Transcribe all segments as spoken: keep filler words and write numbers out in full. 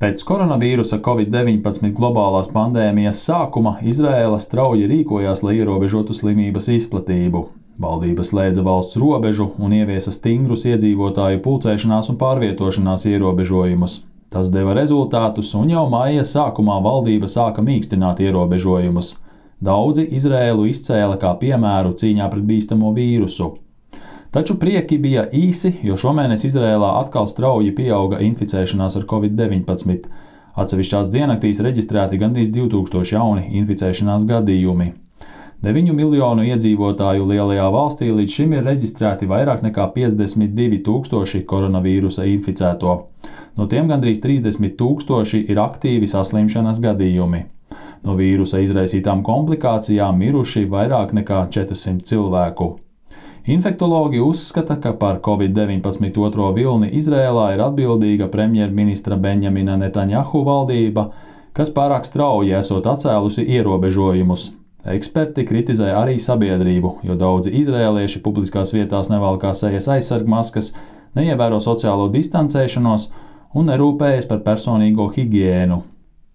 Pēc koronavīrusa covid deviņpadsmit globālās pandēmijas sākuma Izraēla strauji rīkojās, lai ierobežotu slimības izplatību. Valdība slēdza valsts robežu un ieviesa stingrus iedzīvotāju pulcēšanās un pārvietošanās ierobežojumus. Tas deva rezultātus, un jau maija sākumā valdība sāka mīkstināt ierobežojumus. Daudzi Izraēlu izcēla kā piemēru cīņā pret bīstamo vīrusu. Taču prieki bija īsi, jo šomēnes Izraēlā atkal strauji pieauga inficēšanās ar covid deviņpadsmit. Atsevišķās diennaktīs reģistrēti gandrīz divi tūkstoši jauni inficēšanās gadījumi. deviņu miljonu iedzīvotāju lielajā valstī līdz šim ir reģistrēti vairāk nekā piecdesmit divi tūkstoši koronavīrusa inficēto. No tiem gandrīz trīsdesmit tūkstoši ir aktīvi saslimšanas gadījumi. No vīrusa izraisītām komplikācijām miruši vairāk nekā četrsimt cilvēku. Infektologi uzskata, ka par covid deviņpadsmit otro vilni Izrēlā ir atbildīga premjerministra Benjamina Netanjahu valdība, kas pārāk strauji esot atcēlusi ierobežojumus. Eksperti kritizē arī sabiedrību, jo daudzi izrēlieši publiskās vietās nevalkā sejas aizsargmaskas, neievēro sociālo distancēšanos un nerūpējas par personīgo higiēnu.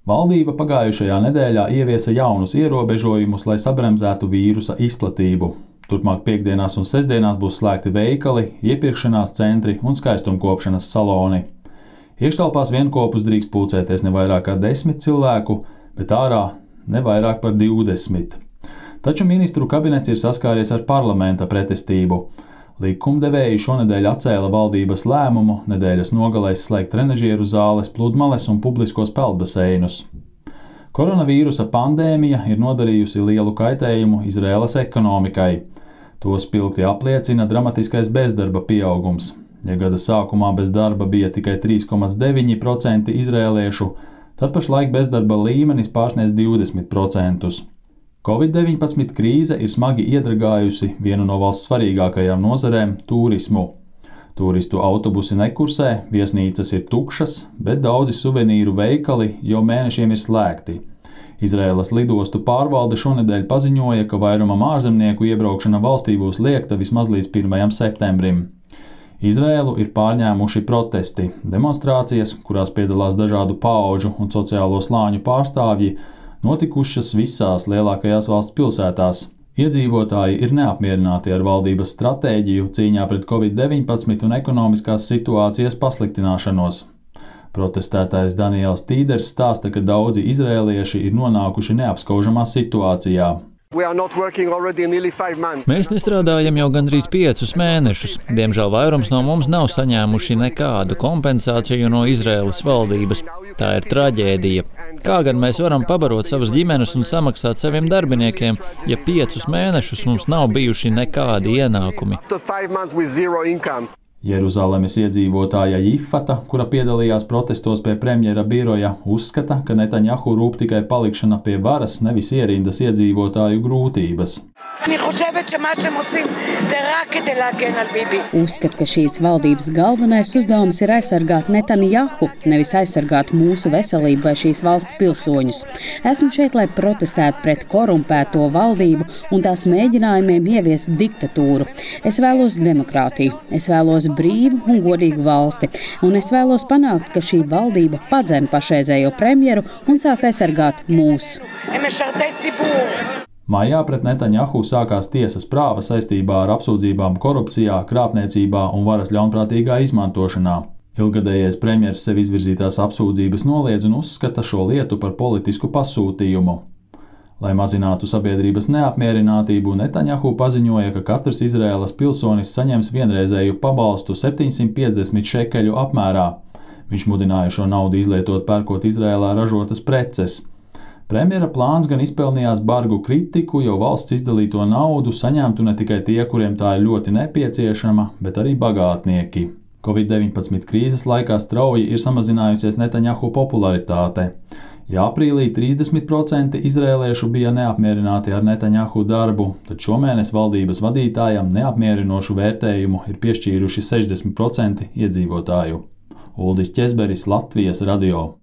Valdība pagājušajā nedēļā ieviesa jaunus ierobežojumus, lai sabremzētu vīrusa izplatību. Turpmāk piekdienās un sestdienās būs slēgti veikali, iepirkšanās centri un skaistumkopšanas saloni. Iekštelpās vienkopus drīkst pulcēties ne vairāk kā desmit cilvēku, bet ārā ne vairāk par divdesmit. Taču ministru kabinets ir saskāries ar parlamenta pretestību. Likumdevēji šonedēļ atcēla valdības lēmumu nedēļas nogalēs slēgt trenažieru zāles, pludmales un publiskos peldbaseinus. Koronavīrusa pandēmija ir nodarījusi lielu kaitējumu Izraēlas ekonomikai. To spilgti apliecina dramatiskais bezdarba pieaugums. Ja gada sākumā bez darba bija tikai trīs komats deviņi procenti izrēliešu, tad pašlaik bezdarba līmenis pārsniedz divdesmit procentus. covid deviņpadsmit krīze ir smagi iedragājusi vienu no valsts svarīgākajām nozarēm – turismu. Turistu autobusi nekursē, viesnīcas ir tukšas, bet daudzi suvenīru veikali jau mēnešiem ir slēgti. Izraēlas lidostu pārvalde šonedēļ paziņoja, ka vairumam ārzemnieku iebraukšana valstī būs liegta vismaz līdz pirmajam septembrim. Izraēlu ir pārņēmuši protesti, demonstrācijas, kurās piedalās dažādu paudžu un sociālo slāņu pārstāvji, notikušas visās lielākajās valsts pilsētās. Iedzīvotāji ir neapmierināti ar valdības stratēģiju cīņā pret covid deviņpadsmit un ekonomiskās situācijas pasliktināšanos. Protestētājs Daniels Tīders stāsta, ka daudzi izrēlieši ir nonākuši neapskaužamā situācijā. Mēs nestrādājam jau gandrīz piecus mēnešus. Diemžēl vairums no mums nav saņēmuši nekādu kompensāciju no Izraēlas valdības. Tā ir traģēdija. Kā gan mēs varam pabarot savas ģimenes un samaksāt saviem darbiniekiem, ja piecus mēnešus mums nav bijuši nekādi ienākumi? Jeruzalemes iedzīvotāja Jifata, kura piedalījās protestos pie premjera biroja, uzskata, ka Netanjahu rūp tikai palikšana pie varas, nevis ierindas iedzīvotāju grūtības. Uzskat, ka šīs valdības galvenais uzdevums ir aizsargāt Netanjahu, nevis aizsargāt mūsu veselību vai šīs valsts pilsoņus. Esmu šeit, lai protestētu pret korumpēto valdību un tās mēģinājumiem ieviest diktatūru. Es vēlos demokrātiju, es vēlos brīvu un godīgu valsti, un es vēlos panākt, ka šī valdība padzen pašreizējo premjeru un sāk aizsargāt mūs. Maijā pret Netanjahu sākās tiesas prāva saistībā ar apsūdzībām korupcijā, krāpniecībā un varas ļaunprātīgā izmantošanā. Ilgadējais premjers sev izvirzītās apsūdzības noliedz un uzskata šo lietu par politisku pasūtījumu. Lai mazinātu sabiedrības neapmierinātību, Netanjahu paziņoja, ka katrs Izraēlas pilsonis saņems vienreizēju pabalstu septiņsimt piecdesmit šekeļu apmērā. Viņš mudināja šo naudu izlietot pērkot Izraēlā ražotas preces. Premjera plāns gan izpelnījās bargu kritiku, jo valsts izdalīto naudu saņemtu ne tikai tie, kuriem tā ir ļoti nepieciešama, bet arī bagātnieki. covid deviņpadsmit krīzes laikā strauji ir samazinājusies Netanjahu popularitāte. Ja aprīlī trīsdesmit procenti izrēliešu bija neapmierināti ar Netanjahu darbu, tad šomēnes valdības vadītājam neapmierinošu vērtējumu ir piešķīruši sešdesmit procenti iedzīvotāju. Uldis Ķezberis, Latvijas radio.